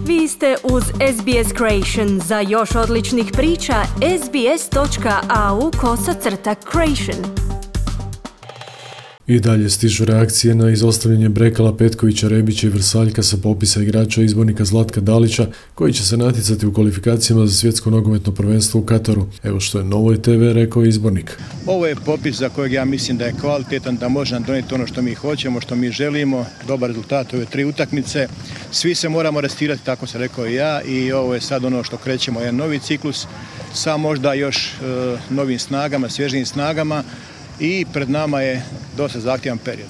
Vi ste uz SBS Creation. Za još odličnih priča, sbs.au/creation. I dalje stižu reakcije na izostavljanje Brekala, Petkovića, Rebića i Vrsaljka sa popisa igrača izbornika Zlatka Dalića, koji će se natjecati u kvalifikacijama za svjetsko nogometno prvenstvo u Kataru. Evo što je Novoj TV rekao izbornik. Ovo je popis za kojeg ja mislim da je kvalitetan, da može nam donijeti ono što mi hoćemo, što mi želimo, dobar rezultat ove 3 utakmice. Svi se moramo restirati, tako sam rekao i ja, i ovo je sad ono što krećemo, jedan novi ciklus, sa možda još novim snagama, svježijim snagama. I pred nama je dosta zahtjevan period.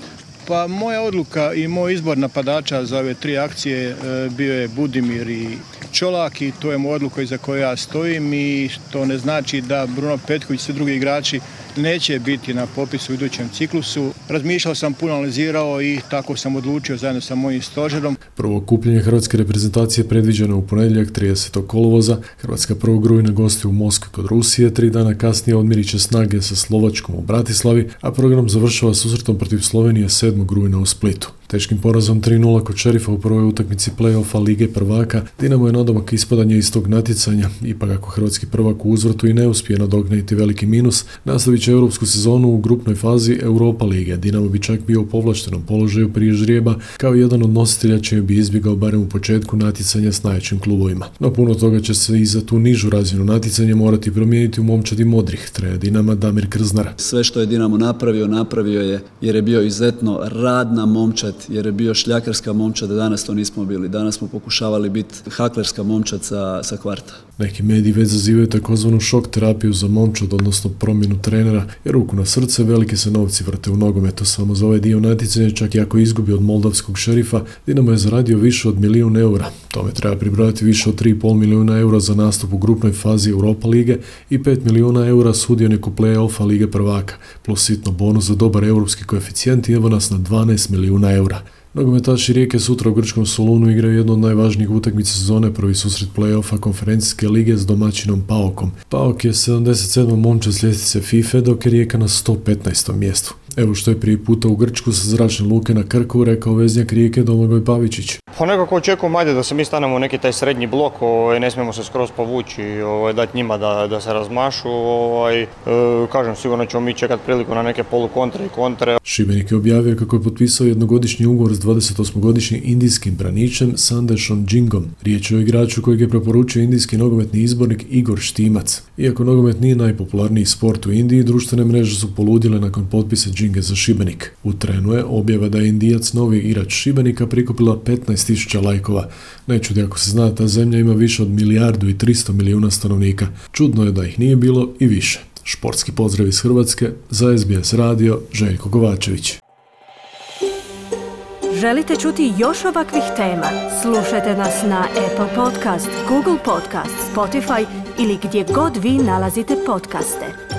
Pa moja odluka i moj izbor napadača za ove 3 akcije bio je Budimir i Čolak i to je moja odluka iza koje ja stojim i to ne znači da Bruno Petković i svi drugi igrači neće biti na popisu u idućem ciklusu. Razmišljao sam, puno analizirao i tako sam odlučio zajedno sa mojim stožerom. Prvo okupljanje hrvatske reprezentacije predviđeno u ponedjeljak 30. kolovoza. Hrvatska 1. rujna gosti u Moskvi kod Rusije, 3 dana kasnije odmirit će snage sa Slovačkom u Bratislavi, a program završava susretom protiv Slovenije 7. rujna u Splitu. Teškim porazom 3-0 kod Šerifa u prvoj utakmici play-offa Lige prvaka, Dinamo je nadomak ispadanja iz tog natjecanja, ipak ako hrvatski prvak u uzvratu i ne uspije nadoknaditi veliki minus, nastavit će europsku sezonu u grupnoj fazi Europa lige. Dinamo bi čak bio u povlaštenom položaju prije ždrijeba, kao jedan od nositelja čije bi izbjegao barem u početku natjecanja s najjačim klubovima. No puno toga će se i za tu nižu razinu natjecanja morati promijeniti u momčadi modrih, trener Dinama Damir Krznar. Sve što je Dinamo napravio je jer je bio izuzetno radna momčad, jer je bio šljakarska momčad, a danas to nismo bili. Danas smo pokušavali biti haklerska momčad sa kvarta. Neki mediji već zazivaju takozvanu šok terapiju za momčad, odnosno promjenu trenera, jer ruku na srce velike se novci vrte u nogometu. Samo za ovaj dio natjecanja, čak i ako izgubi od moldavskog Šerifa, Dinamo je zaradio više od 1 milijun eura. Tome treba pribrojati više od 3,5 milijuna eura za nastup u grupnoj fazi Europa lige i 5 milijuna eura sudioniku play-offa Lige prvaka, plus sitno bonus za dobar europski koeficijent i evo nas na 12 milijuna eura. Nogometaši Rijeke sutra u grčkom Solunu igraju jednu od najvažnijih utakmica sezone, prvi susret play-offa konferencijske lige s domaćinom PAOK-om. PAOK je 77. momčad s ljestvice FIFA, dok je Rijeka na 115. mjestu. Evo što je prije puta u Grčku sa zračne luke na Krku rekao veznjak Rijeke Domagoj Pavičić. Pa nekako očekujem da se mi stanemo u neki taj srednji blok, ne smijemo se skroz povući, dati njima da se razmašu. Kažem, sigurno ćemo mi čekati priliku na neke polukontre i kontre. Šibenik je objavio kako je potpisao jednogodišnji ugovor s 28-godišnjim indijskim braničem Sandeshom Jingom. Riječ je o igraču kojeg je preporučio indijski nogometni izbornik Igor Štimac. Iako nogomet nije najpopularniji sport u Indiji, društvene mreže su poludile nakon potpisa Džinge za Šibenik. U trenu je objava da je Indijac novi igrač Šibenika prikupila 15.000 lajkova. Ne čudi ako se zna, ta zemlja ima više od 1,3 milijarde stanovnika. Čudno je da ih nije bilo i više. Športski pozdrav iz Hrvatske, za SBS radio, Željko Kovačević. Želite čuti još ovakvih tema? Slušajte nas na Apple Podcast, Google Podcast, Spotify ili gdje god vi nalazite podcaste.